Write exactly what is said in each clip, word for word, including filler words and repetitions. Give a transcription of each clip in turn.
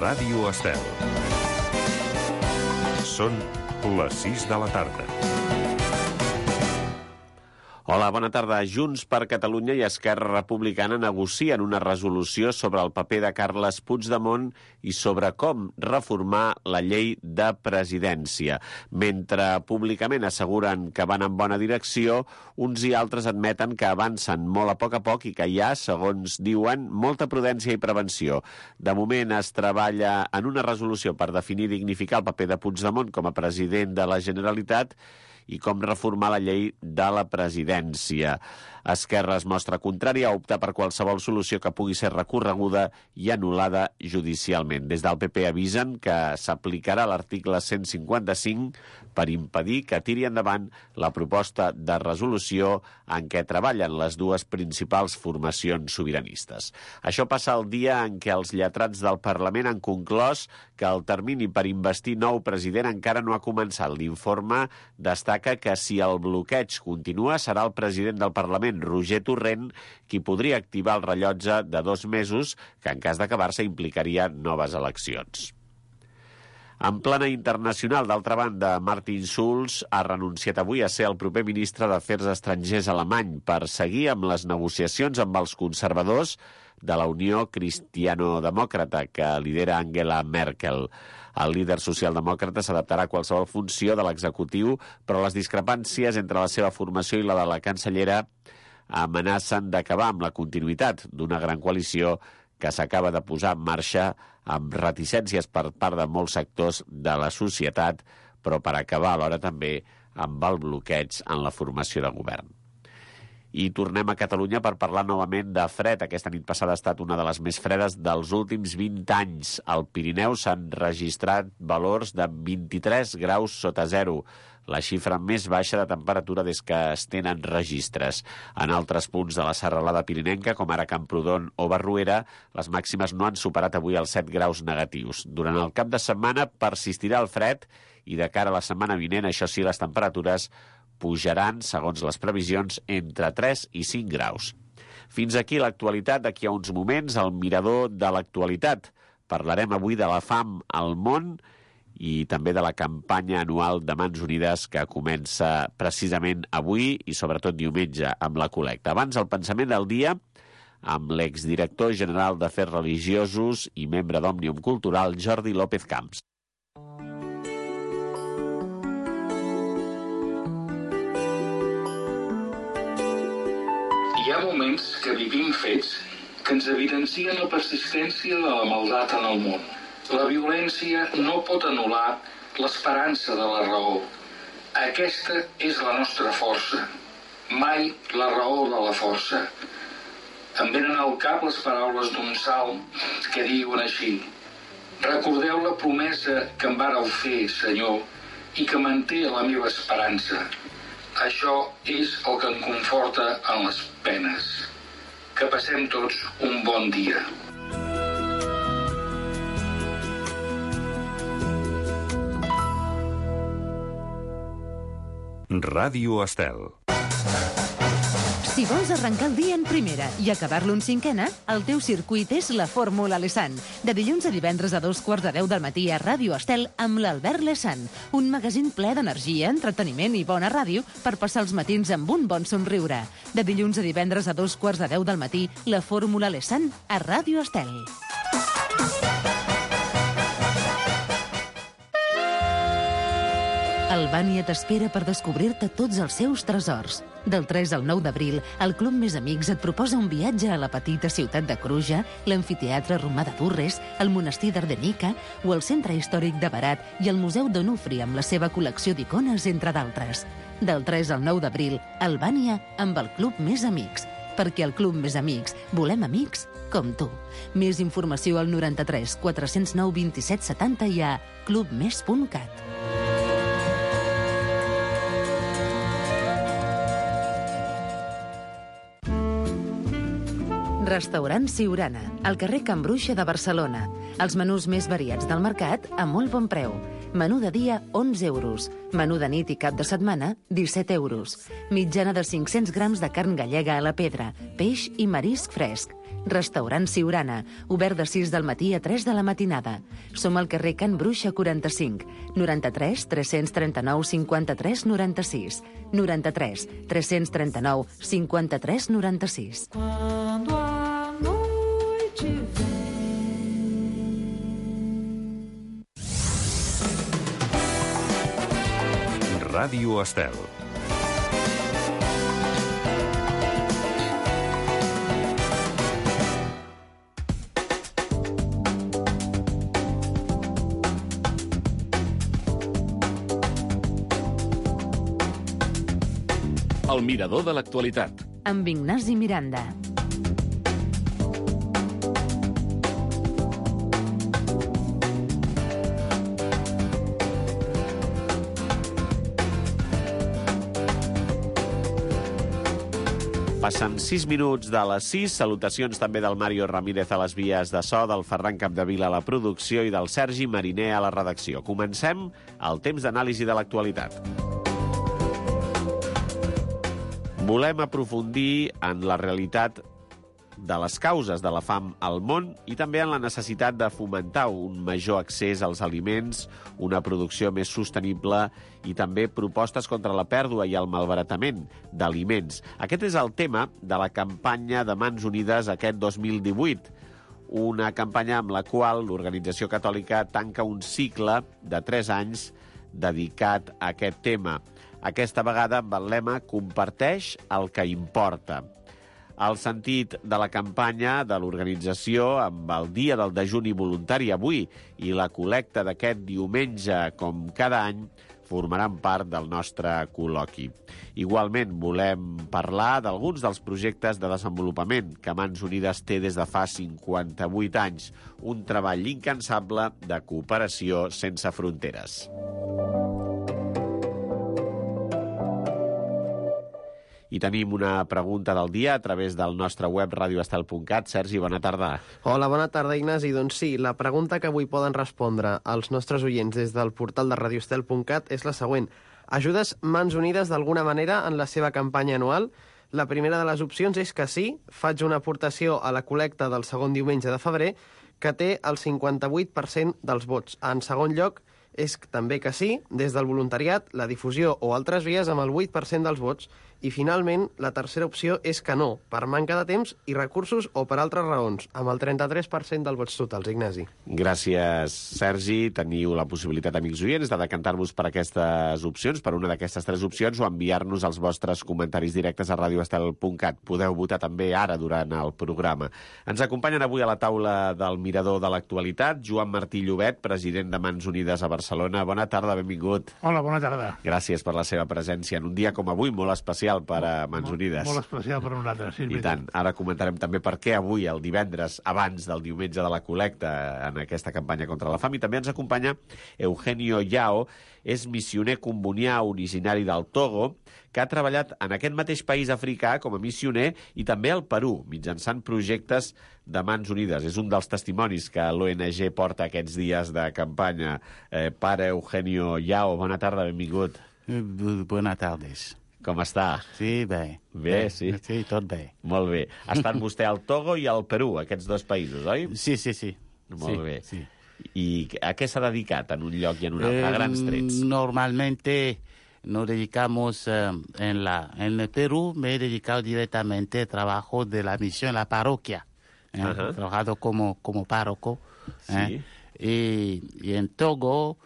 Ràdio Estel. Són les sis de la tarda. Hola, bona tarda. Junts per Catalunya i Esquerra Republicana negocien una resolució sobre el paper de Carles Puigdemont i sobre com reformar la llei de presidència. Mentre públicament asseguren que van en bona direcció, uns i altres admeten que avancen molt a poc a poc i que hi ha, segons diuen, molta prudència i prevenció. De moment es treballa en una resolució per definir i dignificar el paper de Puigdemont com a president de la Generalitat i com reformar la llei de la presidència. Esquerra es mostra contrària a optar per qualsevol solució que pugui ser recorreguda i anul·lada judicialment. Des del P P avisen que s'aplicarà l'article cent cinquanta-cinc per impedir que tiri endavant la proposta de resolució en què treballen les dues principals formacions sobiranistes. Això passa el dia en què els lletrats del Parlament han conclòs que el termini per investir nou president encara no ha començat. L'informe destaca que si el bloqueig continua serà el president del Parlament, Roger Torrent, qui podria activar el rellotge de dos mesos, que en cas d'acabar-se implicaria noves eleccions. En plana internacional, d'altra banda, Martin Schulz ha renunciat avui a ser el proper ministre d'Afers Estrangers alemany per seguir amb les negociacions amb els conservadors de la Unió Cristiano-Demòcrata, que lidera Angela Merkel. El líder socialdemòcrata s'adaptarà a qualsevol funció de l'executiu, però les discrepàncies entre la seva formació i la de la cancellera amenacen d'acabar amb la continuïtat d'una gran coalició que s'acaba de posar en marxa amb reticències per part de molts sectors de la societat, però per acabar alhora també amb el bloqueig en la formació de govern. I tornem a Catalunya per parlar novament de fred. Aquesta nit passada ha estat una de les més fredes dels últims vint anys. Al Pirineu s'han registrat valors de vint-i-tres graus sota zero, la xifra més baixa de temperatura des que es tenen registres. En altres punts de la serralada pirinenca, com ara Camprodon o Barruera, les màximes no han superat avui els set graus negatius. Durant el cap de setmana persistirà el fred i de cara a la setmana vinent, això sí, les temperatures pujaran, segons les previsions, entre tres i cinc graus. Fins aquí l'actualitat. D'aquí a uns moments, el mirador de l'actualitat. Parlarem avui de la fam al món i també de la campanya anual de Mans Unides que comença precisament avui i sobretot diumenge amb la col·lecta. Abans, el pensament del dia amb l'exdirector general d'Afers Religiosos i membre d'Òmnium Cultural, Jordi López Camps. Hi ha moments que vivim fets que ens evidencien la persistència de la maldat en el món. La violència no pot anul·lar l'esperança de la raó. Aquesta és la nostra força, mai la raó de la força. Em venen al cap les paraules d'un salm que diuen així: recordeu la promesa que em vàreu fer, Senyor, i que manté la meva esperança. Això és el que em conforta en les penes. Que passem tots un bon dia. Ràdio Estel. Si vols arrencar el dia en primera i acabar-lo en cinquena, el teu circuit és la Fórmula Lesan. De dilluns a divendres a dos quarts de deu del matí a Ràdio Estel amb l'Albert Lesan. Un magazín ple d'energia, entreteniment i bona ràdio per passar els matins amb un bon somriure. De dilluns a divendres a dos quarts de deu del matí, la Fórmula Lesan a Ràdio Estel. Albània t'espera per descobrir-te tots els seus tresors. Del tres al nou d'abril, el Club Més Amics et proposa un viatge a la petita ciutat de Cruja, l'amfiteatre romà de Durres, el monestir d'Ardenica o el centre històric de Berat i el Museu d'Onufri amb la seva col·lecció d'icones, entre d'altres. Del tres al nou d'abril, Albània amb el Club Més Amics. Perquè al Club Més Amics volem amics com tu. Més informació al noranta-tres quatre-cents nou vint-i-set setanta i a clubmes punt cat. Restaurant Siurana, al carrer Can Bruixa de Barcelona. Els menús més variats del mercat a molt bon preu. Menú de dia, onze euros. Menú de nit i cap de setmana, disset euros. Mitjana de cinc-cents grams de carn gallega a la pedra, peix i marisc fresc. Restaurant Siurana, obert de sis del matí a tres de la matinada. Som al carrer Can Bruixa quaranta-cinc, noranta-tres tres-cents trenta-nou cinquanta-tres noranta-sis, noranta-tres tres-cents trenta-nou cinquanta-tres noranta-sis. Quando a noite vem. Ràdio Estel. El mirador de l'actualitat. Amb Ignasi Miranda. Passen sis minuts de les sis. Salutacions també del Mario Ramírez a les vies de so, del Ferran Capdevila a la producció i del Sergi Mariner a la redacció. Comencem el temps d'anàlisi de l'actualitat. Volem aprofundir en la realitat de les causes de la fam al món i també en la necessitat de fomentar un major accés als aliments, una producció més sostenible i també propostes contra la pèrdua i el malbaratament d'aliments. Aquest és el tema de la campanya de Mans Unides aquest dos mil divuit, una campanya amb la qual l'Organització Catòlica tanca un cicle de tres anys dedicat a aquest tema. Aquesta vegada amb el lema «Comparteix el que importa». El sentit de la campanya de l'organització amb el Dia del Dejuni Voluntari avui i la col·lecta d'aquest diumenge, com cada any, formaran part del nostre col·loqui. Igualment, volem parlar d'alguns dels projectes de desenvolupament que Mans Unides té des de fa cinquanta-vuit anys, un treball incansable de cooperació sense fronteres. I tenim una pregunta del dia a través del nostre web radioestel punt cat. Sergi, bona tarda. Hola, bona tarda, Ignasi. Doncs sí, la pregunta que avui poden respondre als nostres oients des del portal de radioestel punt cat és la següent. Ajudes Mans Unides d'alguna manera en la seva campanya anual? La primera de les opcions és que sí, faig una aportació a la col·lecta del segon diumenge de febrer, que té el cinquanta-vuit per cent dels vots. En segon lloc, és també que sí, des del voluntariat, la difusió o altres vies amb el vuit per cent dels vots. I, finalment, la tercera opció és que no, per manca de temps i recursos o per altres raons, amb el trenta-tres per cent dels vots totals, Ignasi. Gràcies, Sergi. Teniu la possibilitat, amics oients, de decantar-vos per aquestes opcions, per una d'aquestes tres opcions, o enviar-nos els vostres comentaris directes a radioestel punt cat. Podeu votar també ara durant el programa. Ens acompanyen avui a la taula del Mirador de l'Actualitat Joan Martí Llobet, president de Mans Unides a Barcelona. Bona tarda, benvingut. Hola, bona tarda. Gràcies per la seva presència en un dia com avui, molt especial per a Mans Unides. Molt especial per a nosaltres, sí. I tant. Ara comentarem també per què avui, el divendres, abans del diumenge de la col·lecta, en aquesta campanya contra la fam. I també ens acompanya Eugenio Yao, és missioner combonià originari del Togo, que ha treballat en aquest mateix país africà com a missioner i també al Perú, mitjançant projectes de Mans Unides. És un dels testimonis que l'O N G porta aquests dies de campanya. Eh, pare Eugenio Yao, bona tarda, benvingut. Bona tardes. Com està? Sí, bé. Bé, sí? Sí, tot bé. Molt bé. Ha estat vostè al Togo i al Perú, aquests dos països, oi? Sí, sí, sí. Molt sí, bé. Sí. I a què s'ha dedicat en un lloc i en un altre? A grans trets. Eh, normalmente nos dedicamos eh, en, la, en el Perú, me he dedicado directamente al trabajo de la misión en la parroquia. Eh, Ajá. He trabajado como, como párroco. Sí. Eh, y, y en Togo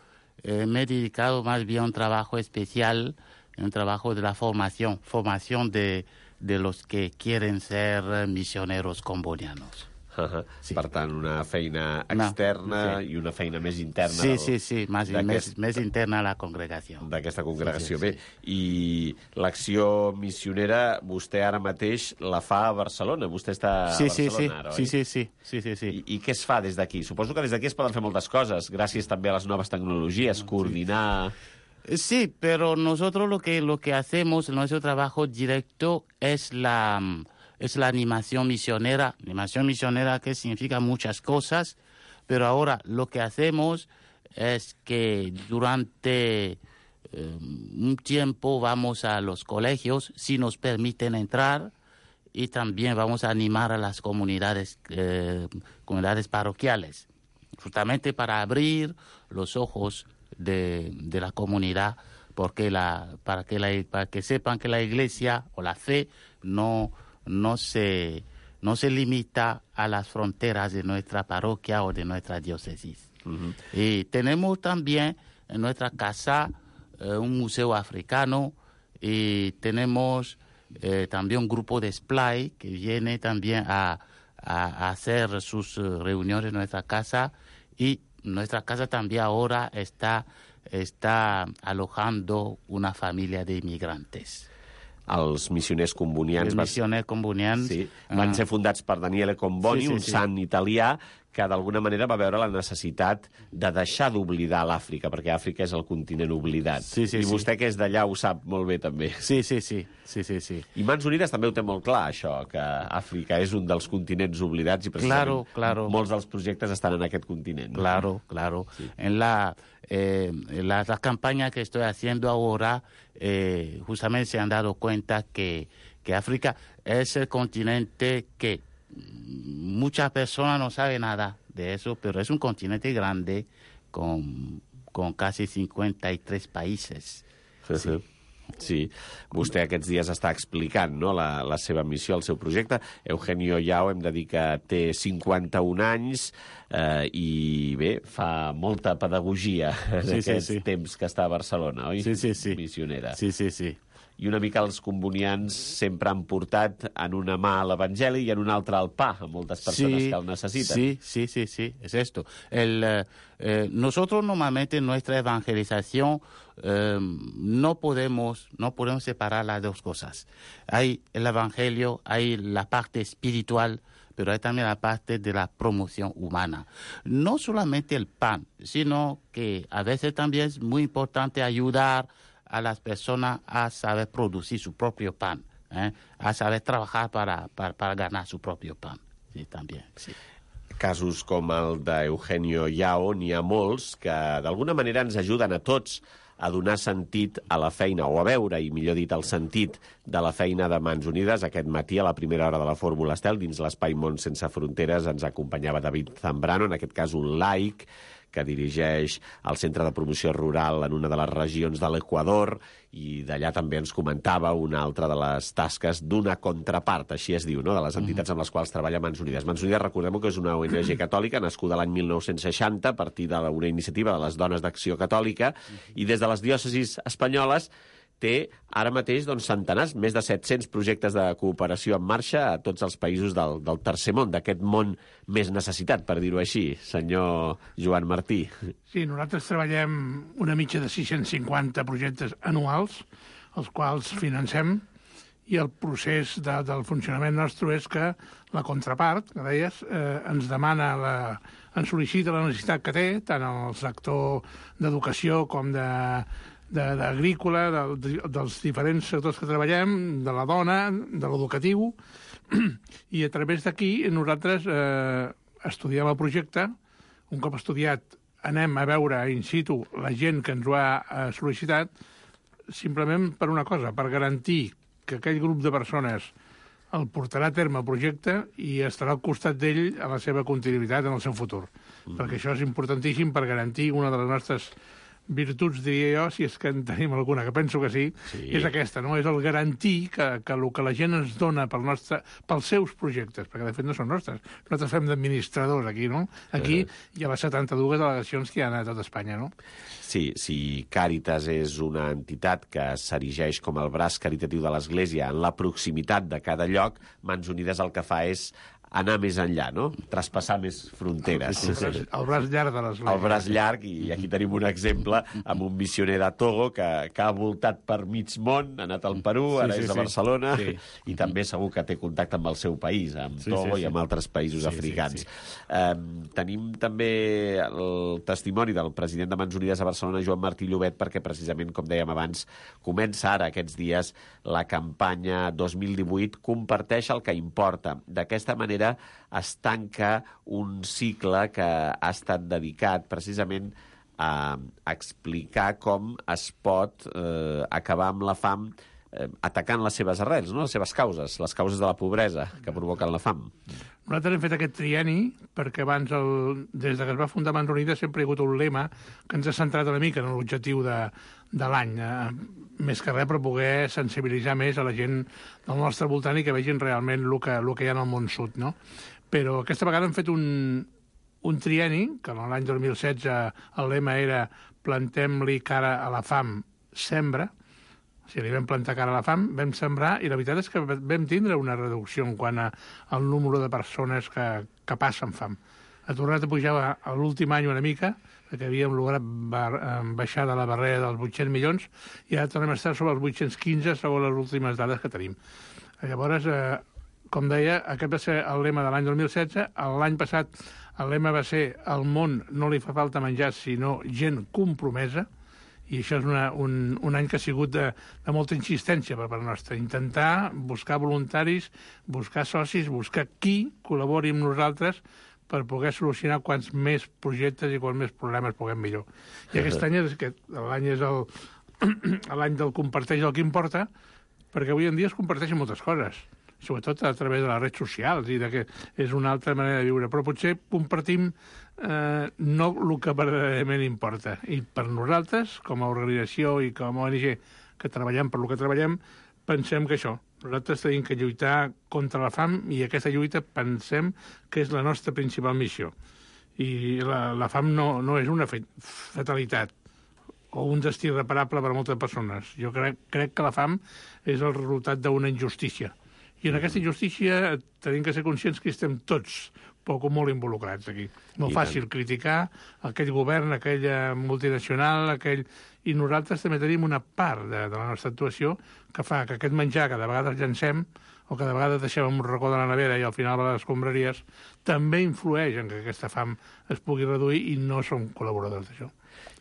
eh, me he dedicado más bien a un trabajo especial, un trabajo de la formación, formación de, de los que quieren ser misioneros combonianos. Uh-huh. Sí. Per tant, una feina externa no, sí. i una feina més interna. Sí, del, sí, sí, más, més, més interna a la congregació. D'aquesta congregació. Sí, sí, sí. Bé, i l'acció missionera vostè ara mateix la fa a Barcelona. Vostè està sí, a Barcelona sí, ara, oi? sí, sí, sí, sí, sí, sí. I, I què es fa des d'aquí? Suposo que des d'aquí es poden fer moltes coses, gràcies també a les noves tecnologies, coordinar... Sí, pero nosotros lo que, lo que hacemos, nuestro trabajo directo es la... es la animación misionera. Animación misionera que significa muchas cosas, pero ahora lo que hacemos es que durante eh, un tiempo vamos a los colegios, si nos permiten entrar, y también vamos a animar a las comunidades, eh, comunidades parroquiales, justamente para abrir los ojos de, de la comunidad, porque la, para, que la, para que sepan que la iglesia o la fe no, no, se, no se limita a las fronteras de nuestra parroquia o de nuestra diócesis. Uh-huh. Y tenemos también en nuestra casa eh, un museo africano, y tenemos eh, también un grupo de Splay que viene también a, a, a hacer sus reuniones en nuestra casa, y nuestra casa también ahora está, está alojando una familia de inmigrantes. Els missioners combonians... Els missioners combonians... Sí, van ser fundats per Daniele Comboni, sí, sí, un sí. sant italià que d'alguna manera va veure la necessitat de deixar d'oblidar l'Àfrica, perquè Àfrica és el continent oblidat. Sí, sí, I vostè, sí. que és d'allà, ho sap molt bé, també. Sí, sí, sí. sí, sí, sí. I Mans Unides també ho té molt clar, això, que Àfrica és un dels continents oblidats i precisament claro, claro. molts dels projectes estan en aquest continent. Claro, claro. Sí. En la, eh, la, la campaña que estoy haciendo ahora, eh, justamente se han dado cuenta que, que África es el continente que muchas personas no saben nada de eso, pero es un continente grande con, con casi cincuenta y tres países. Sí, sí. Sí, vostè aquests dies està explicant, no?, la, la seva missió, el seu projecte. Eugenio Yao, hem de dir que té cinquanta-un anys eh, i, bé, fa molta pedagogia en sí, aquests sí, sí. temps que està a Barcelona, oi? Sí, sí, sí. Missionera. Sí, sí, sí. I una mica els combonians sempre han portat en una mà l'Evangeli i en una altra el pa a moltes persones sí, que el necessiten. Sí, sí, sí, sí, es esto. El, eh, nosotros normalmente en nuestra evangelización eh, no podemos, no podemos separar las dos cosas. Hay el evangelio, hay la parte espiritual, pero hay también la parte de la promoción humana. No solamente el pan, sino que a veces también es muy importante ayudar a las personas a saber producir su propio pan, ¿eh? a saber trabajar para, para, para ganar su propio pan. Sí, también, sí. Casos com el d'Eugenio Yao, n'hi ha molts que d'alguna manera ens ajuden a tots a donar sentit a la feina, o a veure, i millor dit, el sentit de la feina de Mans Unides. Aquest matí, a la primera hora de la Fórmula Estel, dins l'Espai Món Sense Fronteres, ens acompanyava David Zambrano, en aquest cas un laic, que dirigeix el Centre de Promoció Rural en una de les regions de l'Equador, i d'allà també ens comentava una altra de les tasques d'una contrapart, així es diu, no?, de les entitats amb les quals treballa Mans Unides. Mans Unides, recordem que és una O N G catòlica nascuda l'any mil nou-cents seixanta a partir d'una iniciativa de les Dones d'Acció Catòlica, i des de les diòcesis espanyoles té ara mateix doncs, centenars, més de set-cents projectes de cooperació en marxa a tots els països del, del tercer món, d'aquest món més necessitat, per dir-ho així, senyor Joan Martí. Sí, nosaltres treballem una mitja de sis-cents cinquanta projectes anuals, els quals financem, i el procés de, del funcionament nostre és que la contrapart, que deies, eh, ens demana, la, ens sol·licita la necessitat que té, tant el sector d'educació com de d'agrícola, de, dels diferents sectors que treballem, de la dona, de l'educatiu, i a través d'aquí nosaltres eh, estudiem el projecte. Un cop estudiat anem a veure in situ la gent que ens ho ha eh, sol·licitat, simplement per una cosa, per garantir que aquell grup de persones el portarà a terme el projecte i estarà al costat d'ell a la seva continuïtat en el seu futur. Mm. Perquè això és importantíssim per garantir una de les nostres virtuts, diria jo, si és que en tenim alguna, que penso que sí, sí. És aquesta, no? És el garantir que, que el que la gent ens dona pel nostre, pels seus projectes, perquè de fet no són nostres. Nosaltres fem d'administradors aquí, no? Aquí uh -huh. hi ha les setanta-dues delegacions que hi ha a tot Espanya, no? Sí, si Càritas és una entitat que s'erigeix com el braç caritatiu de l'Església en la proximitat de cada lloc, Mans Unides el que fa és anar més enllà, no? Traspassar més fronteres. El, el, braç, el braç llarg de l'Església. El braç llarg, i aquí tenim un exemple amb un missioner de Togo que, que ha voltat per mig món, ha anat al Perú, ara sí, sí, és a Barcelona, sí. I també segur que té contacte amb el seu país, amb sí, Togo sí, sí. i amb altres països sí, africans. Sí, sí. Um, tenim també el testimoni del president de Mans Unides a Barcelona, Joan Martí Llobet, perquè precisament, com dèiem abans, comença ara aquests dies la campanya dos mil divuit, comparteix el que importa. D'aquesta manera es tanca un cicle que ha estat dedicat precisament a explicar com es pot eh, acabar amb la fam eh, atacant les seves arrels, no? Les seves causes, les causes de la pobresa que provoquen la fam. Nosaltres hem fet aquest trienni perquè abans, el, des de que es va fundar Mans Unides, sempre hi ha hagut un lema que ens ha centrat una mica en l'objectiu de, de l'any, eh, més que res per poder sensibilitzar més a la gent del nostre voltant i que vegin realment el que, el que hi ha en el món sud, no? Però aquesta vegada hem fet un, un trienni, que l'any dos mil setze el lema era plantem-li cara a la fam, sembra. O sigui, li vam plantar cara a la fam, vam sembrar, i la veritat és que vam tindre una reducció en quant a, al número de persones que, que passen fam. Ha tornat a pujar a l'últim any una mica, perquè havíem lograt baixar de la barrera dels vuit-cents milions, i ara tornem a estar sobre els vuit-cents quinze, segons les últimes dades que tenim. Llavors, eh, com deia, aquest va ser el lema de l'any dos mil setze. L'any passat el lema va ser «Al món no li fa falta menjar, sinó gent compromesa», i això és una, un, un any que ha sigut de, de molta insistència per part nostra. Intentar buscar voluntaris, buscar socis, buscar qui col·labori amb nosaltres per poder solucionar quants més projectes i quants més problemes puguem millor. I aquest any és, l'any és el, l'any del comparteix el que importa, perquè avui en dia es comparteixen moltes coses, sobretot a través de les redes socials, i de que és una altra manera de viure. Però potser compartim eh, no el que verdaderament importa. I per nosaltres, com a organització i com a O N G que treballem per lo que treballem, pensem que això, nosaltres tenim que lluitar contra la fam, i aquesta lluita pensem que és la nostra principal missió. I la, la fam no, no és una fatalitat o un destí irreparable per a moltes persones. Jo crec, crec que la fam és el resultat d'una injustícia. I en aquesta injustícia tenim que ser conscients que estem tots poc o molt involucrats aquí. Molt fàcil criticar aquell govern, aquella multinacional, aquell... i nosaltres també tenim una part de, de la nostra actuació que fa que aquest menjar que de vegades llancem o que de vegades deixem un racó de la nevera i al final va a les escombraries, també influeix en que aquesta fam es pugui reduir, i no som col·laboradors d'això.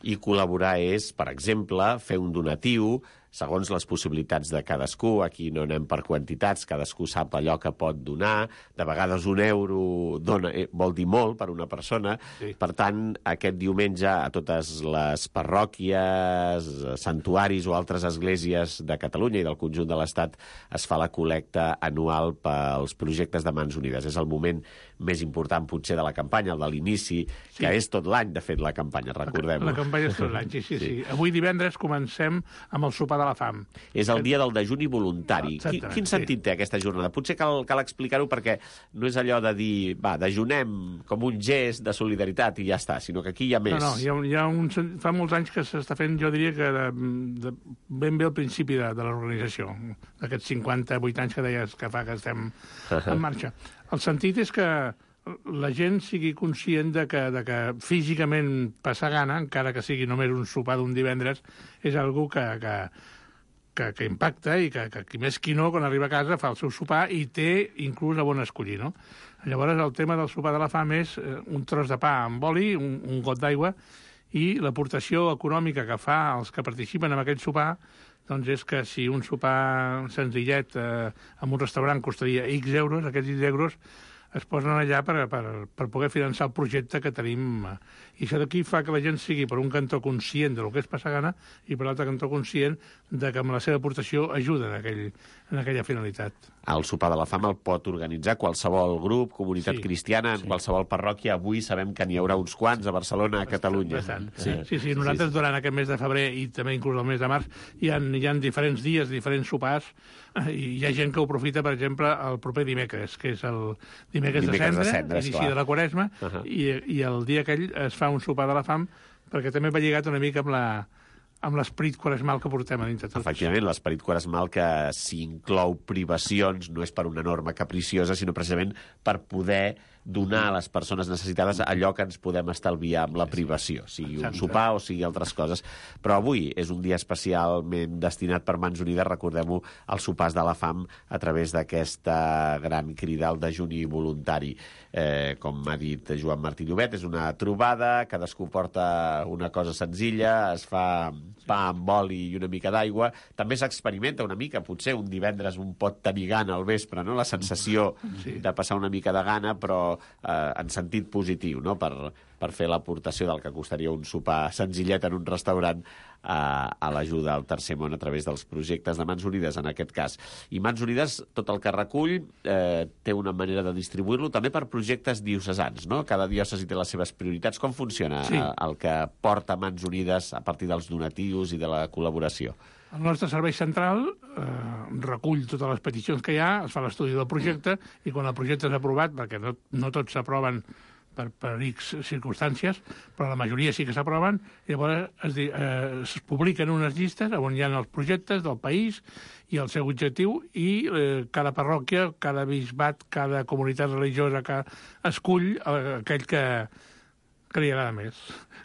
I col·laborar és, per exemple, fer un donatiu segons les possibilitats de cadascú. Aquí no anem per quantitats, cadascú sap allò que pot donar. De vegades un euro dona, eh, vol dir molt per una persona. Sí. Per tant, aquest diumenge a totes les parròquies, santuaris o altres esglésies de Catalunya i del conjunt de l'Estat es fa la col·lecta anual pels projectes de Mans Unides. És el moment més important, potser, de la campanya, el de l'inici, sí. que és tot l'any, de fet, la campanya, recordem-ho. La, la campanya és tot l'any, sí, sí, sí, sí. Avui divendres comencem amb el sopar de la fam. És el dia del dejuni voluntari. Quin, quin sentit sí. té aquesta jornada? Potser cal, cal explicar-ho perquè no és allò de dir, va, dejunem com un gest de solidaritat i ja està, sinó que aquí hi ha més. No, no, hi ha, hi ha un, fa molts anys que s'està fent, jo diria que de, de, ben bé al principi de, de l'organització, d'aquests cinquanta-vuit anys que deies que fa que estem en marxa. El sentit és que la gent sigui conscient de que, de que físicament passar gana, encara que sigui només un sopar d'un divendres, és algo que, que, que, que impacta, i que, que qui més qui no, quan arriba a casa, fa el seu sopar i té inclús a bon escollir, no? Llavors, el tema del sopar de la fam és un tros de pa amb oli, un, un got d'aigua, i l'aportació econòmica que fa els que participen en aquest sopar, doncs és que si un sopar senzillet eh, en un restaurant costaria X euros, aquests X euros es posen allà per, per, per poder finançar el projecte que tenim. I això d'aquí fa que la gent sigui, per un cantó, conscient del que és passar gana, i per l'altre cantó conscient de que amb la seva aportació ajuda en, aquell, en aquella finalitat. El sopar de la fam el pot organitzar qualsevol grup, comunitat sí, cristiana, en sí. qualsevol parròquia. Avui sabem que n'hi haurà uns quants a Barcelona, a Catalunya. Bastant. Sí. sí, sí, nosaltres sí. durant aquest mes de febrer i també inclús el mes de març hi ha, hi ha diferents dies, diferents sopars, i hi ha gent que ho aprofita, per exemple, el proper dimecres, que és el dimecres, dimecres de cendre, de cendre inici clar. de la Quaresma, uh -huh. i, i el dia aquell es fa un sopar de la fam, perquè també va lligat una mica amb la amb l'esperit quaresmal que portem a dintre tots. Efectivament, l'esperit quaresmal que si inclou privacions no és per una norma capriciosa, sinó precisament per poder donar a les persones necessitades allò que ens podem estalviar amb la privació, sigui un sopar o sigui altres coses. Però avui és un dia especialment destinat per Mans Unides, recordem-ho, als sopars de la fam a través d'aquesta gran crida al dejuni voluntari. Eh, com ha dit Joan Martí Llobet, és una trobada, cadascú porta una cosa senzilla, es fa pa amb oli i una mica d'aigua. També s'experimenta una mica, potser un divendres un pot tenir gana al vespre, no? La sensació sí. de passar una mica de gana, però eh, en sentit positiu, no? Per, per fer l'aportació del que costaria un sopar senzillet en un restaurant a, a l'ajuda al Tercer Món a través dels projectes de Mans Unides, en aquest cas. I Mans Unides, tot el que recull, eh, té una manera de distribuir-lo també per projectes diocesans, no? Cada diòcesi té les seves prioritats. Com funciona sí. el que porta Mans Unides a partir dels donatius i de la col·laboració? El nostre servei central eh, recull totes les peticions que hi ha, es fa l'estudi del projecte, i quan el projecte és aprovat, perquè no, no tots s'aproven per, per X circumstàncies, però la majoria sí que s'aproven, llavors es, eh, es publiquen unes llistes on hi ha els projectes del país i el seu objectiu, i eh, cada parròquia, cada bisbat, cada comunitat religiosa que escull eh, aquell que, que li agrada més.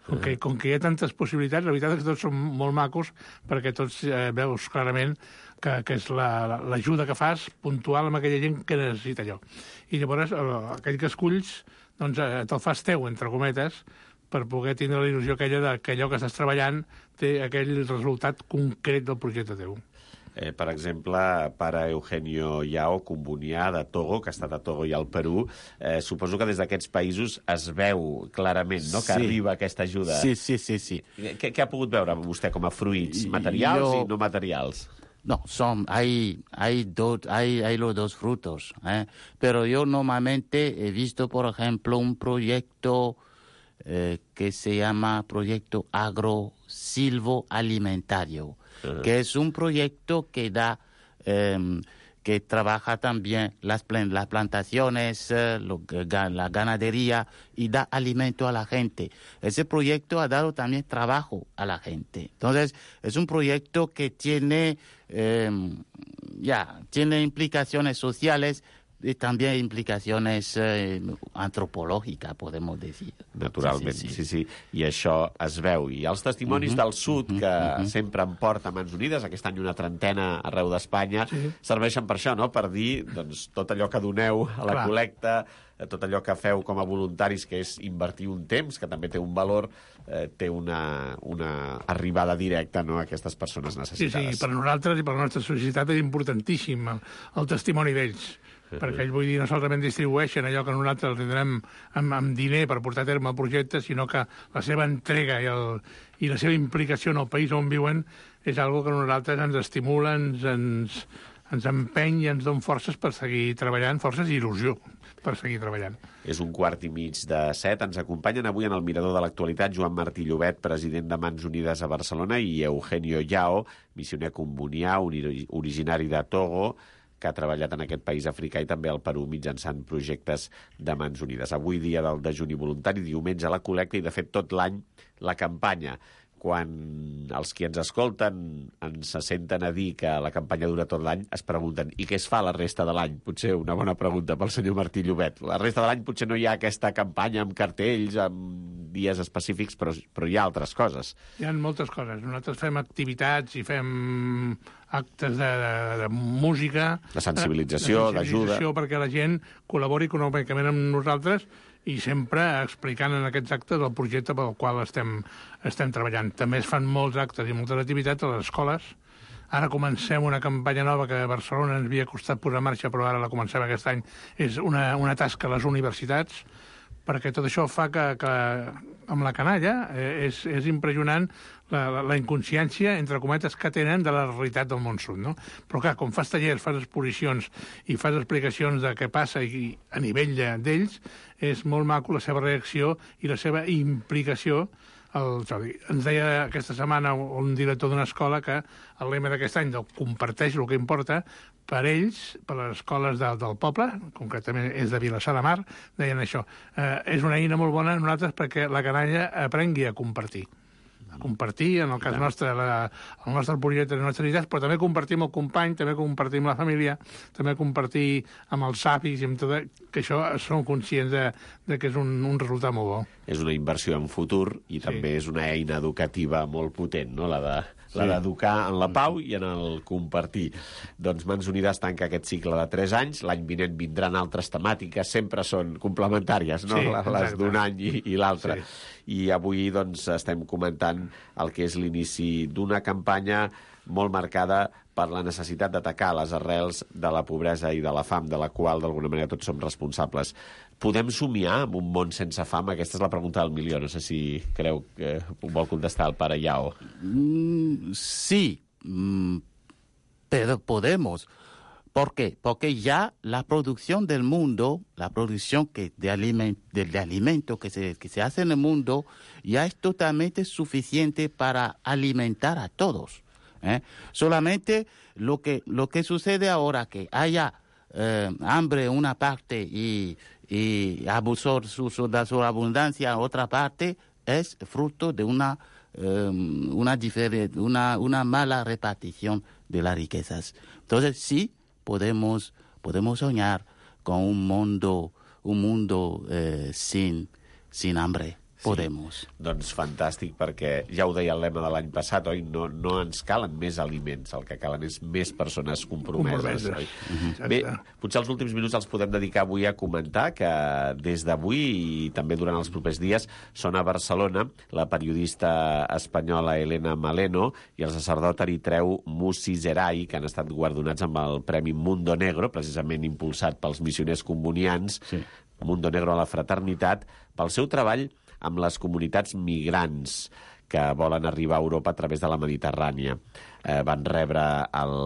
Com que, com que hi ha tantes possibilitats, la veritat és que tots són molt macos, perquè tots eh, veus clarament que, que és l'ajuda la, que fas puntual amb aquella gent que necessita allò. I llavors el, aquell que esculls doncs, eh, te'l fas teu, entre cometes, per poder tindre la il·lusió aquella de que allò que estàs treballant té aquell resultat concret del projecte teu. Eh, per exemple, pare Eugenio Yao, combonià de Togo, que ha estat a Togo i al Perú, eh, suposo que des d'aquests països es veu clarament, no?, que sí. arriba aquesta ajuda. Sí, sí, sí. sí. Què, què ha pogut veure vostè com a fruits materials Yo... i no materials? No, son, hay, hay, dos, hay, hay los dos frutos, ¿eh? Pero yo normalmente he visto, por ejemplo, un proyecto eh, que se llama Proyecto Agro-Silvo-Alimentario, uh-huh. que es un proyecto que da, eh, que trabaja también las, las plantaciones, eh, lo, la ganadería, y da alimento a la gente. Ese proyecto ha dado también trabajo a la gente. Entonces, es un proyecto que tiene, eh, ya, tiene implicaciones sociales i també implicacions eh, antropològiques, podem dir. Naturalment, sí, sí, sí. sí. I això es veu. I els testimonis uh-huh. del sud, que uh-huh. sempre en porta Mans Unides, aquest any una trentena arreu d'Espanya, sí. serveixen per això, no?, per dir doncs, tot allò que doneu a la Clar. col·lecta, tot allò que feu com a voluntaris, que és invertir un temps, que també té un valor, eh, té una, una arribada directa, no?, a aquestes persones necessitades. Sí, sí, per nosaltres i per la nostra societat és importantíssim el, el testimoni d'ells. Perquè ells, vull dir, no solament distribueixen allò que nosaltres tindrem amb, amb diner per portar a terme el projecte, sinó que la seva entrega i, el, i la seva implicació en el país on viuen és algo que nosaltres ens estimula, ens, ens, ens empeny i ens dona forces per seguir treballant, forces i il·lusió per seguir treballant. És un quart i mig de set. Ens acompanyen avui en el Mirador de l'Actualitat Joan Martí Llobet, president de Mans Unides a Barcelona, i Eugenio Yao, missioner combonià, originari de Togo, que ha treballat en aquest país africà i també al Perú mitjançant projectes de Mans Unides. Avui dia del dejuni voluntari, diumenge la col·lecta i, de fet, tot l'any la campanya. Quan els qui ens escolten ens se senten a dir que la campanya dura tot l'any, es pregunten i què es fa la resta de l'any? Potser una bona pregunta pel senyor Martí Llobet. La resta de l'any potser no hi ha aquesta campanya amb cartells, amb dies específics, però, però hi ha altres coses. Hi ha moltes coses. Nosaltres fem activitats i fem actes de, de, de música... De sensibilització, d'ajuda... perquè la gent col·labori econòmicament amb nosaltres i sempre explicant en aquests actes el projecte pel qual estem, estem treballant. També es fan molts actes i moltes activitats a les escoles. Ara comencem una campanya nova que a Barcelona ens havia costat posar en marxa, però ara la comencem aquest any. És una, una tasca a les universitats, perquè tot això fa que, que amb la canalla eh, és, és impressionant la, la, la inconsciència, entre cometes, que tenen de la realitat del món sud, no? Però clar, com fas tallers, fas exposicions i fas explicacions de què passa i, a nivell d'ells, és molt maco la seva reacció i la seva implicació. El, ens deia aquesta setmana un director d'una escola que el lema d'aquest any del comparteix el que importa, per ells, per les escoles de, del poble, concretament és de Vilassar de Mar, deien això. Eh, és una eina molt bona a nosaltres perquè la canalla aprengui a compartir. A compartir, en el cas nostre, la, el nostre projecte, les nostres idees, però també compartir amb el company, també compartir amb la família, també compartir amb els avis, i amb tot, que això som conscients de, de que és un, un resultat molt bo. És una inversió en futur i sí. també és una eina educativa molt potent, no?, la de... la d'educar en la pau i en el compartir. Doncs Mans Unides tanca aquest cicle de tres anys, l'any vinent vindran altres temàtiques, sempre són complementàries, no? Sí, les d'un any i, i l'altre. Sí. I avui doncs estem comentant el que és l'inici d'una campanya molt marcada per la necessitat d'atacar les arrels de la pobresa i de la fam, de la qual d'alguna manera tots som responsables. Podem somiar en un món sense fam? Aquesta és la pregunta del milió. No sé si creu que ho vol contestar el pare Yao. Mm, sí, mm, pero podemos. ¿Por qué? Porque ya la producción del mundo, la producción que de, aliment, de, de alimento que se, que se hace en el mundo, ya es totalmente suficiente para alimentar a todos. ¿eh? Solamente lo que, lo que sucede ahora, que haya eh, hambre en una parte y, y abusor su, su, de su abundancia en otra parte, es fruto de una, um, una, una, una mala repartición de las riquezas. Entonces, sí, podemos, podemos soñar con un mundo, un mundo eh, sin, sin hambre. Podemos. Sí, doncs fantàstic, perquè ja ho deia el lema de l'any passat, oi? No, no ens calen més aliments, el que calen és més persones compromeses, oi? Uh-huh. Bé, potser els últims minuts els podem dedicar avui a comentar que des d'avui i també durant els propers dies són a Barcelona la periodista espanyola Elena Maleno i el sacerdot eritreu Musi Zerai, que han estat guardonats amb el Premi Mundo Negro, precisament impulsat pels missioners combonians, sí. Mundo Negro a la fraternitat, pel seu treball amb les comunitats migrants que volen arribar a Europa a través de la Mediterrània. Eh, van rebre el,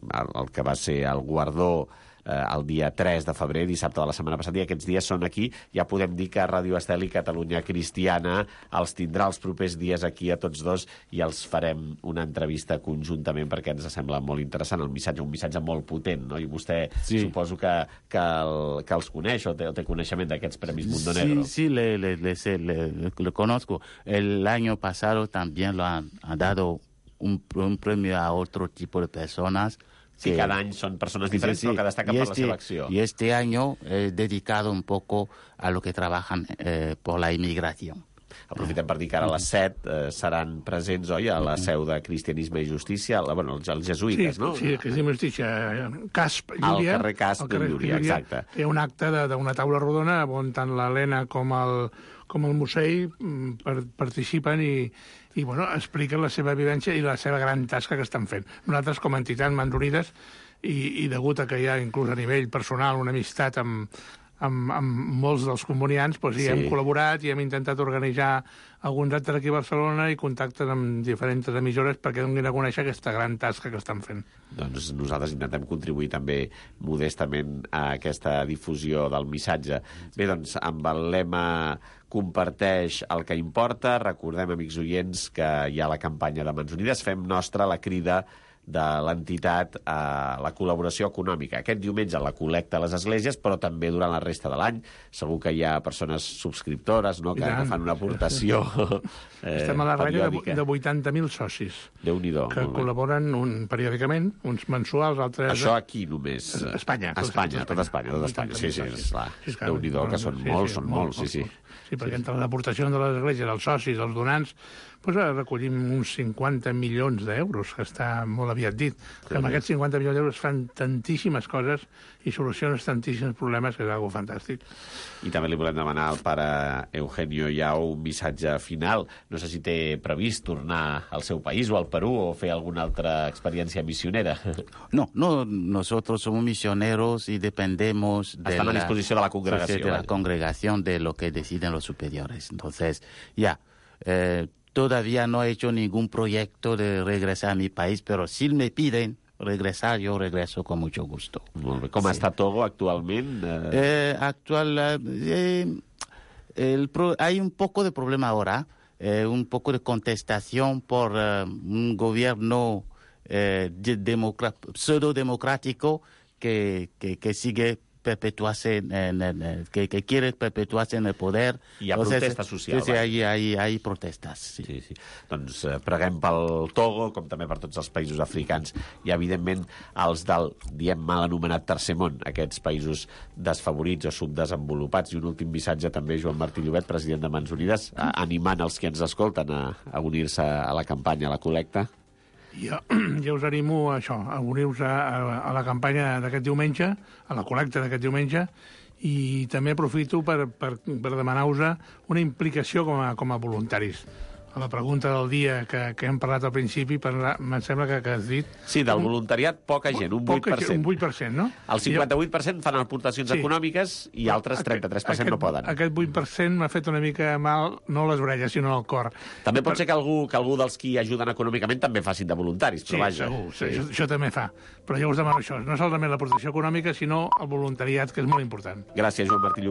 el, el que va ser el guardó eh, el dia tres de febrer, dissabte de la setmana passada, i aquests dies són aquí. Ja podem dir que Ràdio Estel i Catalunya Cristiana els tindrà els propers dies aquí a tots dos i els farem una entrevista conjuntament perquè ens sembla molt interessant el missatge, un missatge molt potent, no? I vostè sí. Suposo que, que, el, que els coneix o té, o té coneixement d'aquests Premis Mundo Negro. Sí, sí, le, le, le, le, le, le conozco. El año pasado también lo han, han dado un, un premio a otro tipo de personas. Sí, que, cada any són persones diferents, sí, sí, però que destaquen per este, la seva acció. Y este año he dedicado un poco a lo que trabajan eh, por la inmigración. Aprofitem per dir que ara a les set eh, seran presents, oi, a la seu de Cristianisme i Justícia, la, bueno, els, els jesuïtes, sí, no? Sí, Cristianisme i Justícia, Casp, Llúria. Al carrer Casp de Llúria, exacte. Hi ha un acte d'una taula rodona on tant l'Helena com el, com el Musell per, participen i, i bueno, expliquen la seva vivència i la seva gran tasca que estan fent. Nosaltres, com a entitat Mandonides, i, i degut a que hi ha inclús a nivell personal una amistat amb, amb, amb molts dels comunians, doncs, sí. Hem col·laborat i hem intentat organitzar alguns actes aquí a Barcelona i contactes amb diferents emissores perquè donin a conèixer aquesta gran tasca que estan fent. Doncs nosaltres intentem contribuir també modestament a aquesta difusió del missatge. Bé, doncs, amb el lema comparteix el que importa, recordem, amics oients, que hi ha la campanya de Mans Unides, fem nostra la crida de l'entitat a la col·laboració econòmica. Aquest diumenge la col·lecta a les esglésies, però també durant la resta de l'any. Segur que hi ha persones subscriptores, no?, que, que fan una aportació eh, Estem a la ratlla de, de vuitanta mil socis. Déu-n'hi-do. Que col·laboren un, periòdicament, uns mensuals, altres... Això aquí només. A Espanya. A Espanya, tot Espanya, tot Espanya. Sí, sí, esclar. Déu-n'hi-do, que són molts, són molts, sí, sí. Sí, perquè entre les aportacions de les esglésies, els socis, els donants, doncs recollim uns cinquanta milions d'euros, que està molt aviat dit. Que amb aquests cinquanta milions d'euros fan tantíssimes coses i solucionen tantíssims problemes que és algo fantàstic. I també li volem demanar al pare Eugenio Yao un missatge final. No sé si té previst tornar al seu país o al Perú o fer alguna altra experiència missionera. No, no, nosotros somos misioneros y dependemos de Estan la, a disposició de la congregació. De la congregación, de lo que deciden los superiores. Entonces, ya, eh, todavía no he hecho ningún proyecto de regresar a mi país, pero si me piden regresar, yo regreso con mucho gusto. Molt bé. Com sí. Està Togo actualment? Eh... Eh, actual, eh, el pro, hay un poco de problema ahora, eh, un poco de contestación por eh, un gobierno eh, de democra- pseudo-democrático que, que, que sigue perpetuarse en, en, en, que, que quiere perpetuarse en el poder. Hi ha Entonces, protesta social. Sí, sí, hay, hay, hay protestas. Sí. Sí, sí. Doncs eh, preguem pel Togo, com també per tots els països africans, i evidentment els del, diem mal anomenat tercer món, aquests països desfavorits o subdesenvolupats. I un últim missatge també, Joan Martí Llobet, president de Mans Unides, a, animant els que ens escolten a, a unir-se a la campanya, a la col·lecta. Jo, jo us animo a això, a unir-vos a, a, a la campanya d'aquest diumenge, a la col·lecta d'aquest diumenge, i també aprofito per, per, per demanar-vos una implicació com a, com a voluntaris. a la pregunta del dia que, que hem parlat al principi, em sembla que, que has dit... Sí, del voluntariat, poca gent, un vuit per cent. Un vuit per cent, no? El cinquanta-vuit per cent fan aportacions Sí. econòmiques i altres trenta-tres per cent aquest, no poden. Aquest vuit per cent m'ha fet una mica mal, no a les orelles, sinó al cor. També pot ser que algú, que algú dels qui ajuden econòmicament també facin de voluntaris, Sí, però vaja. segur, sí. Això, això també fa. Però jo us demano això, no solament l'aportació econòmica, sinó el voluntariat, que és molt important. Gràcies, Joan Martí Llobet.